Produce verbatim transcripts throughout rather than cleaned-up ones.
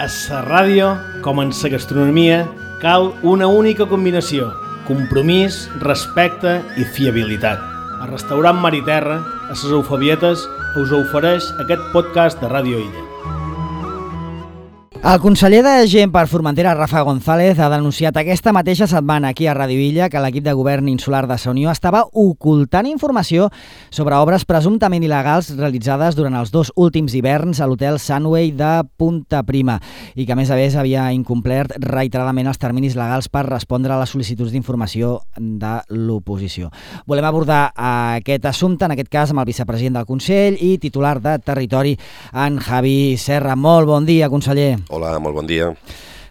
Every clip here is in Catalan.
A la ràdio, com en la gastronomia, cal una única combinació: compromís, respecte i fiabilitat. El restaurant Mar i Terra, a les Eufebietes, us ofereix aquest podcast de Ràdio Illa. El conseller de Gent per Formentera, Rafa González, ha denunciat aquesta mateixa setmana aquí a Ràdio Illa que l'equip de govern insular de Sa Unió estava ocultant informació sobre obres presumptament il·legals realitzades durant els dos últims hiverns a l'hotel Sunway de Punta Prima i que, a més a més, havia incomplert reiteradament els terminis legals per respondre a les sol·licituds d'informació de l'oposició. Volem abordar aquest assumpte, en aquest cas, amb el vicepresident del Consell i titular de Territori, en Javi Serra. Molt bon dia, conseller. Hola, molt bon dia.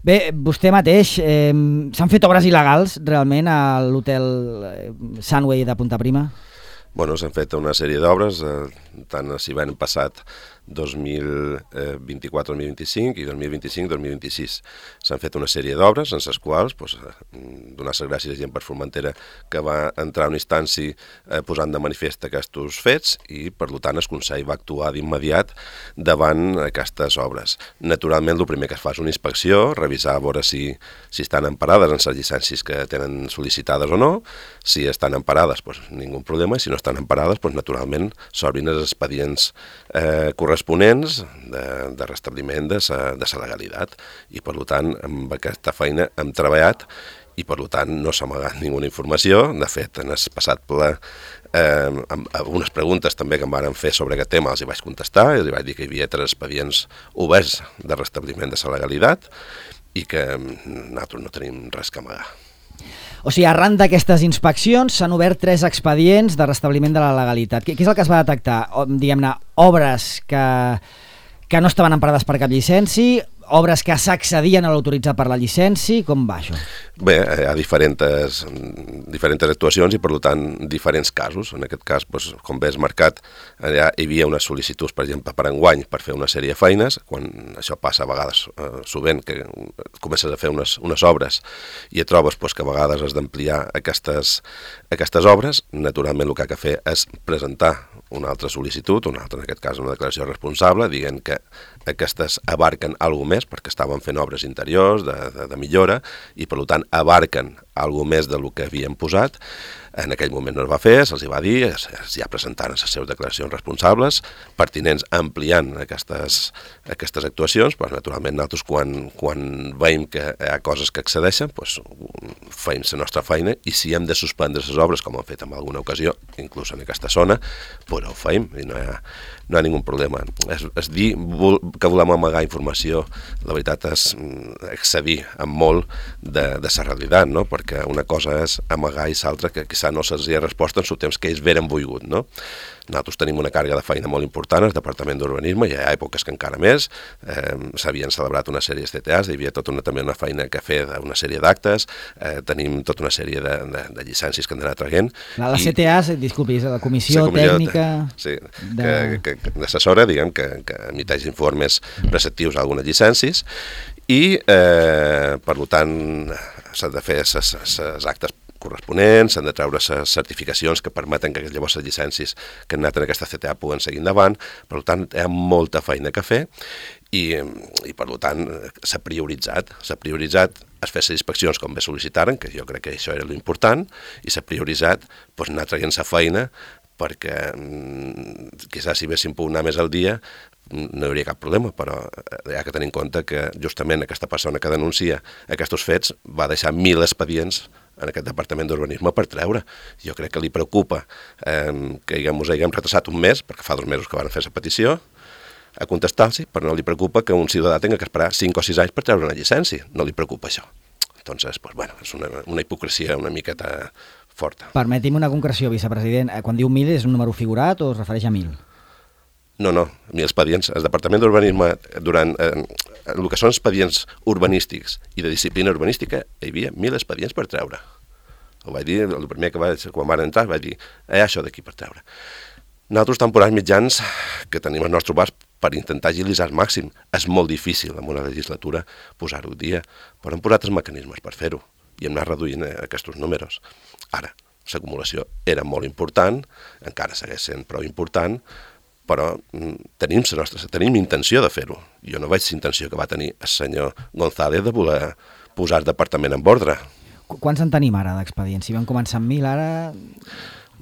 Bé, vostè mateix, eh, s'han fet obres il·legals realment a l'hotel Sunway de Punta Prima? Bueno, s'han fet una sèrie d'obres, eh, tant si van passat dos mil vint-i-quatre dos mil vint-i-cinc i dos mil vint-i-cinc dos mil vint-i-sis. S'han fet una sèrie d'obres en les quals pues, donar les gràcies a Gent per Formentera que va entrar a una instància eh, posant de manifest aquests fets i, per tant, el Consell va actuar d'immediat davant aquestes obres. Naturalment, el primer que es fa és una inspecció, revisar a veure si, si estan emparades en les llicències que tenen sol·licitades o no. Si estan emparades, pues, ningú problema, i si no estan emparades, pues, naturalment, s'obrin els expedients eh, corresponents de, de restabliment de sa, de sa legalitat. I, per tant, amb aquesta feina hem treballat i, per tant, no s'ha amagat ninguna informació. De fet, en el passat ple, eh, amb algunes preguntes també que em van fer sobre aquest tema els hi vaig contestar, i els vaig dir que hi havia tres expedients oberts de restabliment de sa legalitat i que nosaltres no tenim res que amagar. O sigui, arran d'aquestes inspeccions s'han obert tres expedients de restabliment de la legalitat. Què és el que es va detectar? Diguem-ne, obres que, que no estaven emparades per cap llicència, obres que s'accedien a l'autoritzat per la llicència, com va això? Bé, hi ha diferents, diferents actuacions i, per tant, diferents casos. En aquest cas, doncs, com bé has marcat, allà hi havia unes sol·licituds, per exemple, per enguany, per fer una sèrie de feines. Quan això passa a vegades, eh, sovint, que comences a fer unes, unes obres i et trobes doncs, que a vegades has d'ampliar aquestes, aquestes obres, naturalment el que ha de fer és presentar una altra sol·licitud, una altra, en aquest cas una declaració responsable, dient que aquestes abarquen alguna més, perquè estaven fent obres interiors, de, de, de millora, i per tant abarquen alguna més del que havien posat. En aquell moment no es va fer, se'ls va dir, ja presentaren les seves declaracions responsables, pertinents ampliant aquestes, aquestes actuacions, però naturalment nosaltres quan, quan veiem que hi ha coses que excedeixen, doncs feim la nostra feina i si hem de suspendre les obres, com hem fet en alguna ocasió, inclús en aquesta zona, doncs ho feim i no hi ha, no hi ha ningun problema. És, és dir que volem amagar informació, la veritat és excedir amb molt de, de la realitat, no? Perquè una cosa és amagar i l'altra que quizà no se'ls hi ha resposta en el temps que ells veren volgut, no? Nosaltres tenim una càrrega de feina molt important al Departament d'Urbanisme, hi ha èpoques que encara més, eh, s'havien celebrat una sèrie de C T As, hi havia tota una, també una feina que fer d'una sèrie d'actes, eh, tenim tota una sèrie de, de, de llicències que han d'anar traient. La, la C T A, disculpi, és la Comissió, la comissió Tècnica... Sí, de... que, que, que assessora, diguem, que, que emiteix informes preceptius a algunes llicències i, eh, per tant, s'han de fer els actes corresponents, s'han de treure les certificacions que permeten que llavors les llicències que han anat en aquesta C T A puguen seguir endavant. Per tant, hi ha molta feina que fer i, i per tant, s'ha prioritzat. S'ha prioritzat es fer les inspeccions com bé sol·licitaren, que jo crec que això era l'important, i s'ha prioritzat doncs, anar traient la feina perquè quizás si haguéssim pogut anar més al dia no hi hauria cap problema, però hi ha que tenir en compte que justament aquesta persona que denuncia aquests fets va deixar mil expedients en aquest Departament d'Urbanisme per treure. Jo crec que li preocupa eh, que ens haguem retrasat un mes, perquè fa dos mesos que van fer la petició, a contestar-los, però no li preocupa que un ciutadà tingui que esperar cinc o sis anys per treure una llicència. No li preocupa això. Entonces, pues, bueno, és una, una hipocresia una miqueta forta. Permeti'm una concreció, vicepresident. Quan diu mil és un número figurat o es refereix a mil? No, no, mil expedients. El Departament d'Urbanisme, durant eh, el que són expedients urbanístics i de disciplina urbanística, hi havia mil expedients per treure. Ho vaig dir, el primer que vaig, quan van entrar, vaig dir, hi ha això d'aquí per treure. Nosaltres temporals mitjans que tenim al nostre abast per intentar agilitzar al màxim. És molt difícil en una legislatura posar-ho al dia, però hem posat els mecanismes per fer-ho i hem anat reduint aquests números. Ara, l'acumulació era molt important, encara segueix sent prou important, però tenim, la nostra, tenim intenció de fer-ho. Jo no veig la intenció que va tenir el senyor González de voler posar el departament en ordre. Quants en tenim ara d'expedients? Si vam començar amb mil, ara...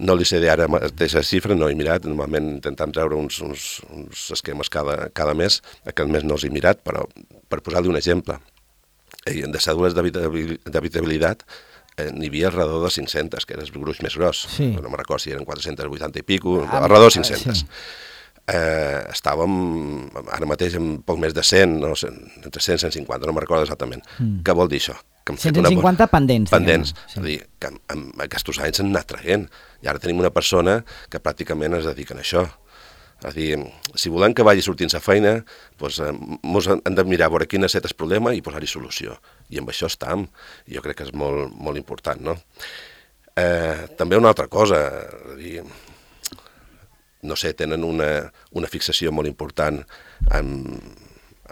No li sé dir ara mateixa xifra, no he mirat, normalment intentem treure uns, uns, uns esquemes cada, cada mes, aquest mes no els he mirat, però per posar-li un exemple, de cèdules d'habitabilitat eh, n'hi havia alrededor de cinc-centes, que era el gruix més gros, sí. No me'n recordo si eren quatre-cents vuitanta i pico, ah, alrededor de cinc-centes. Sí. Eh, estàvem ara mateix amb poc més de cent, no, entre cent i cent cinquanta, no me'n recordo exactament. Mm. Què vol dir això? Que cent cinquanta una... pendents. Pendents, sí. És a dir, que en, en aquests anys s'han anat traient, i ara tenim una persona que pràcticament es dedica a això. És a dir, si volem que vagi sortint la feina, doncs, ens hem de mirar a veure quin ha estat el problema i posar-hi solució. I amb això estem. Jo crec que és molt, molt important, no? Eh, també una altra cosa, és a dir, no sé, tenen una, una fixació molt important en,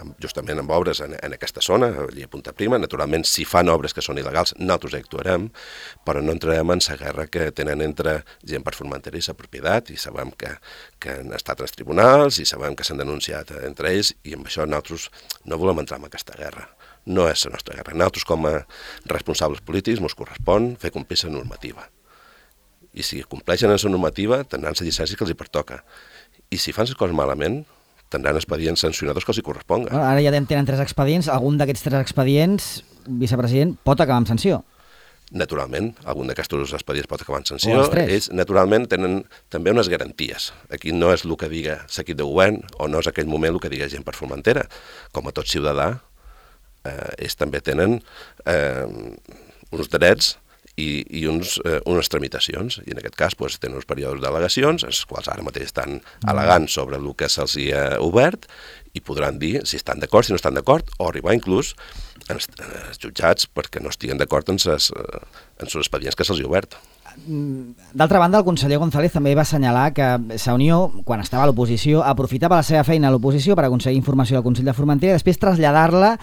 en, justament amb obres en, en aquesta zona, allà a Punta Prima. Naturalment, si fan obres que són il·legals, nosaltres actuarem, però no entrarem en la guerra que tenen entre gent per Formentera i la propietat, i sabem que, que han estat als tribunals, i sabem que s'han denunciat entre ells, i amb això nosaltres no volem entrar en aquesta guerra. No és la nostra guerra. Nosaltres, com a responsables polítics, ens correspon fer complir la normativa. I si compleixen la normativa, tindran la llicència que els hi pertoca. I si fan les coses malament, tindran expedients sancionadors que els hi corresponga. Ara ja tenen tres expedients. Algun d'aquests tres expedients, vicepresident, pot acabar amb sanció? Naturalment, algun d'aquests expedients pot acabar amb sanció. Ells, naturalment, tenen també unes garanties. Aquí no és el que diga l'equip de govern o no és aquell moment el que diga gent per Formentera. Com a tot ciutadà, eh, ells també tenen eh, uns drets i, i uns, eh, unes tramitacions, i en aquest cas doncs, tenen uns períodes d'al·legacions, els quals ara mateix estan al·legant sobre el que se'ls hi ha obert, i podran dir si estan d'acord, si no estan d'acord, o arribar inclús als jutjats perquè no estiguen d'acord en els expedients que se'ls hi ha obert. D'altra banda, el conseller González també va assenyalar que la Unió, quan estava a l'oposició, aprofitava la seva feina a l'oposició per aconseguir informació del Consell de Formentera i després traslladar-la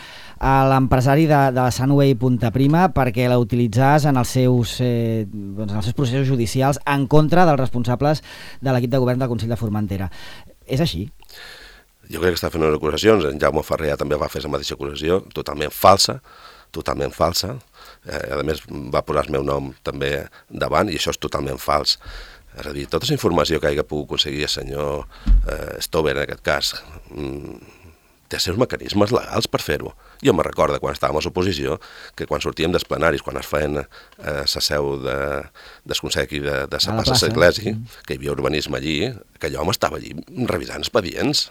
a l'empresari de, de la Sunway Punta Prima perquè la utilitzés en els seus, eh, doncs en els seus processos judicials en contra dels responsables de l'equip de govern del Consell de Formentera. És així? Jo crec que està fent unes acusacions, en Jaume Ferrer també va fer la mateixa acusació, totalment falsa, totalment falsa. Eh, a més, va posar el meu nom també davant, i això és totalment fals. És a dir, tota la informació que hagi pogut aconseguir el senyor eh, Stover, en aquest cas, mm, té els seus mecanismes legals per fer-ho. Jo me recordo, quan estàvem a l'oposició, que quan sortíem dels plenaris, quan es feien eh, la seu de, del Consell aquí de, de la plaça S'Església, mm. que hi havia urbanisme allí, aquell home estava allí revisant expedients.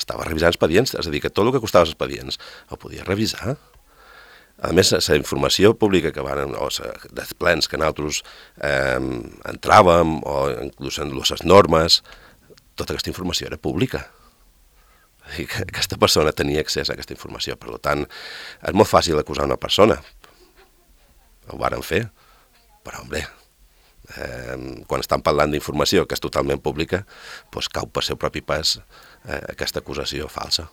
Estava revisant expedients, és a dir, que tot el que costava els expedients el podia revisar. A més, la informació pública que van, o dels plens que nosaltres eh, entràvem, o inclús en les normes, tota aquesta informació era pública. I que aquesta persona tenia accés a aquesta informació. Per tant, és molt fàcil acusar una persona. Ho varen fer, però, home, eh, quan estan parlant d'informació que és totalment pública, doncs cau per seu propi pes eh, aquesta acusació falsa.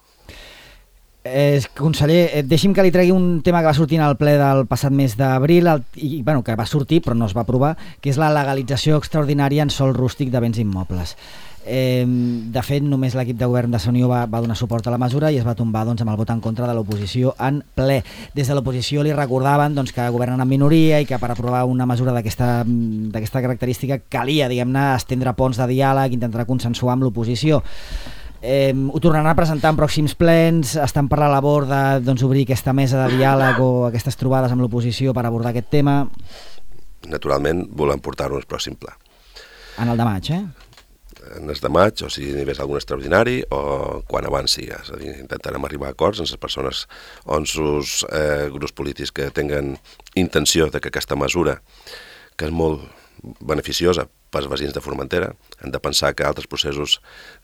Eh, conseller, deixi'm que li tregui un tema que va sortir al ple del passat mes d'abril i bueno, que va sortir però no es va aprovar, que és la legalització extraordinària en sòl rústic de béns immobles. Eh, de fet, només l'equip de govern de Unió va, va donar suport a la mesura i es va tombar doncs, amb el vot en contra de l'oposició en ple. Des de l'oposició li recordaven doncs, que governen en minoria i que per aprovar una mesura d'aquesta d'aquesta característica calia, diguem-ne, estendre ponts de diàleg, intentar consensuar amb l'oposició. Eh, ho tornaran a presentar en pròxims plens, estan per la labor de doncs, obrir aquesta mesa de diàleg o aquestes trobades amb l'oposició per abordar aquest tema? Naturalment volem portar-ho al pròxim pla. En el de maig, eh? En el de maig, o si n'hi hagués algun extraordinari, o quan abans sigui. És a dir, intentarem arribar a acords amb les persones o amb els eh, grups polítics que tinguen intenció de que aquesta mesura, que és molt beneficiosa pels veïns de Formentera, hem de pensar que altres processos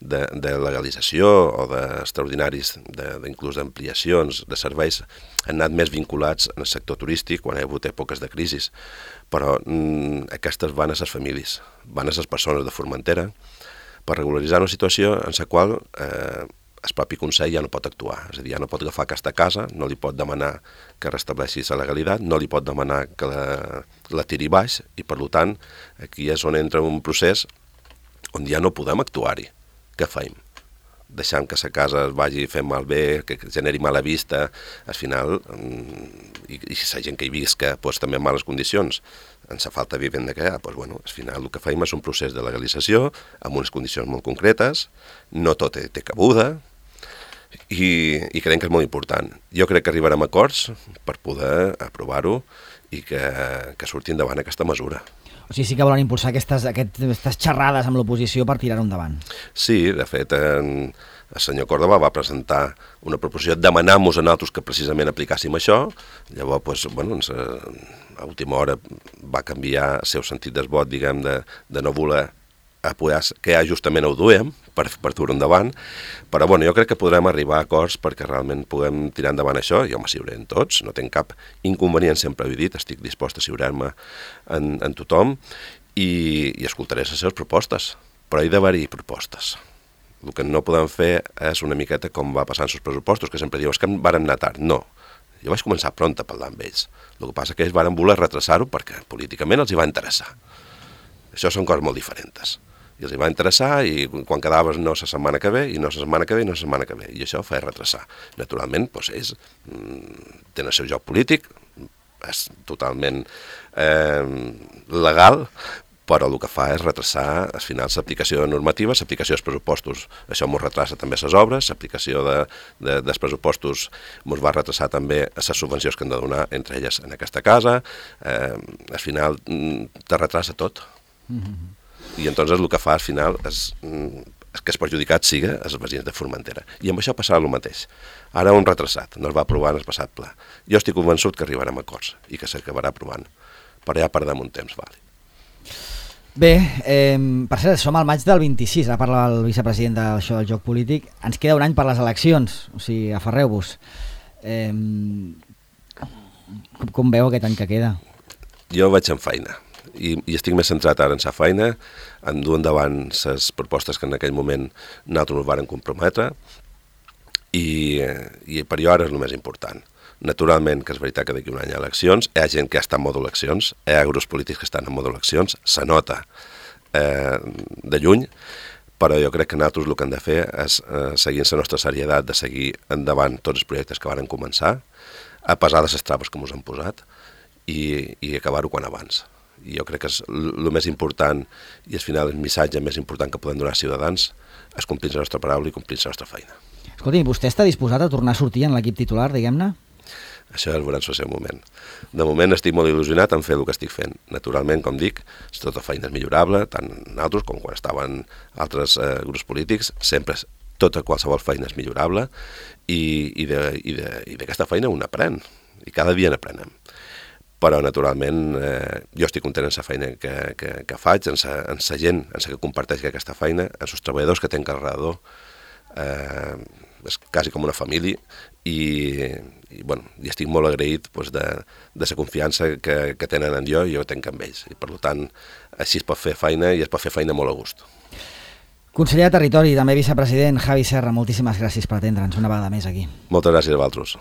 de, de legalització o d'extraordinaris, de, inclús d'ampliacions de serveis, han anat més vinculats en el sector turístic quan hi ha hagut èpoques de crisi. Però mm, aquestes van a les famílies, van a les persones de Formentera per regularitzar una situació en la qual eh, el propi Consell ja no pot actuar. És a dir, ja no pot agafar aquesta casa, no li pot demanar que restableixi la legalitat, no li pot demanar que la, la tiri baix, i per tant aquí és on entra un procés on ja no podem actuar-hi. què feim? Deixant que la casa es vagi fent malbé, que generi mala vista, al final, i, i la gent que hi visca pues, també en males condicions, en la falta de vivenda que hi ha, pues, bueno, al final el que feim és un procés de legalització amb unes condicions molt concretes, no tot té, té cabuda, i, i creiem que és molt important. Jo crec que arribarem a acords per poder aprovar-ho i que, que surti endavant aquesta mesura. O sigui, sí que volen impulsar aquestes, aquestes xerrades amb l'oposició per tirar-ho endavant. Sí, de fet, en, el senyor Córdoba va presentar una proposició demanant-nos a nosaltres que precisament aplicàssim això. Llavors, pues, bueno, a última hora va canviar el seu sentit del vot, diguem, de, de no voler apoyar, que ja justament ho duem per, per dur endavant, però bueno, jo crec que podrem arribar a acords perquè realment puguem tirar endavant això. Jo m'asseguraré tots, no tinc cap inconvenient, sempre ho he dit, estic dispost a assegurar-me en, en tothom i, i escoltaré les seves propostes, però hi ha d'haver-hi propostes. El que no podem fer és una miqueta com va passar en els pressupostos, que sempre diu, és que varen anar tard. No, jo vaig començar pront a parlar amb ells. El que passa és que ells varen voler retrasar-ho perquè políticament els hi va interessar. Això són coses molt diferents. I els hi va interessar i quan quedaves no la setmana que ve i no la setmana que ve i no la setmana que ve. I això fa retrasar. Naturalment, doncs, ells mm, tenen el seu joc polític, és totalment eh, legal, però el que fa és retrasar al final l'aplicació de normatives, l'aplicació dels pressupostos. Això ens retrasa també les obres, l'aplicació de, de, dels pressupostos ens va retrasar també les subvencions que hem de donar entre elles en aquesta casa. Eh, al final te retrasa tot. Mm-hmm. I entonces el que fa al final és, és que els perjudicats siga els veïns de Formentera. I amb això passarà el mateix. Ara ho hem retrasat, no es va aprovar en el passat pla. Jo estic convençut que arribarem a acords i que s'acabarà aprovant, però ja perdem un temps, vale. Bé, eh, per cert, som al maig del vint-i-sis, ara parla el vicepresident d'això del joc polític, ens queda un any per les eleccions, o sigui, aferreu-vos. Eh, com, com veu aquest any que queda? Jo vaig en feina. I, i estic més centrat ara en sa feina, en dur endavant les propostes que en aquell moment nosaltres ens varen comprometre i, i per jo ara és el més important. Naturalment que és veritat que d'aquí un any hi ha eleccions, hi ha gent que està en modo eleccions, hi ha grups polítics que estan en modo eleccions, se nota eh, de lluny, però jo crec que nosaltres el que hem de fer és eh, seguir la nostra serietat de seguir endavant tots els projectes que varen començar, a pesar de les traves que ens han posat, i, i acabar-ho quan abans. I jo crec que és el més important i al final el missatge més important que podem donar als ciutadans és complir la nostra paraula i complir la nostra feina. Escolti, vostè està disposat a tornar a sortir en l'equip titular, diguem-ne? Això el veurem en el seu moment. De moment estic molt il·lusionat en fer el que estic fent. Naturalment, com dic, tota feina és millorable, tant nosaltres com quan estaven altres eh, grups polítics, sempre tota qualsevol feina és millorable i, i d'aquesta feina un aprèn, i cada dia n'aprenem. Però, naturalment, eh, jo estic content en la feina que, que, que faig, en la, en la gent, en la que comparteix aquesta feina, en els treballadors que tenc alrededor. Eh, és quasi com una família i, i, bueno, i estic molt agraït pues, de, de la confiança que, que tenen en jo i jo tenc amb ells. I, per tant, així es pot fer feina i es pot fer feina molt a gust. Conseller de Territori i també vicepresident Javi Serra, moltíssimes gràcies per atendre'ns una vegada més aquí. Moltes gràcies a vosaltres.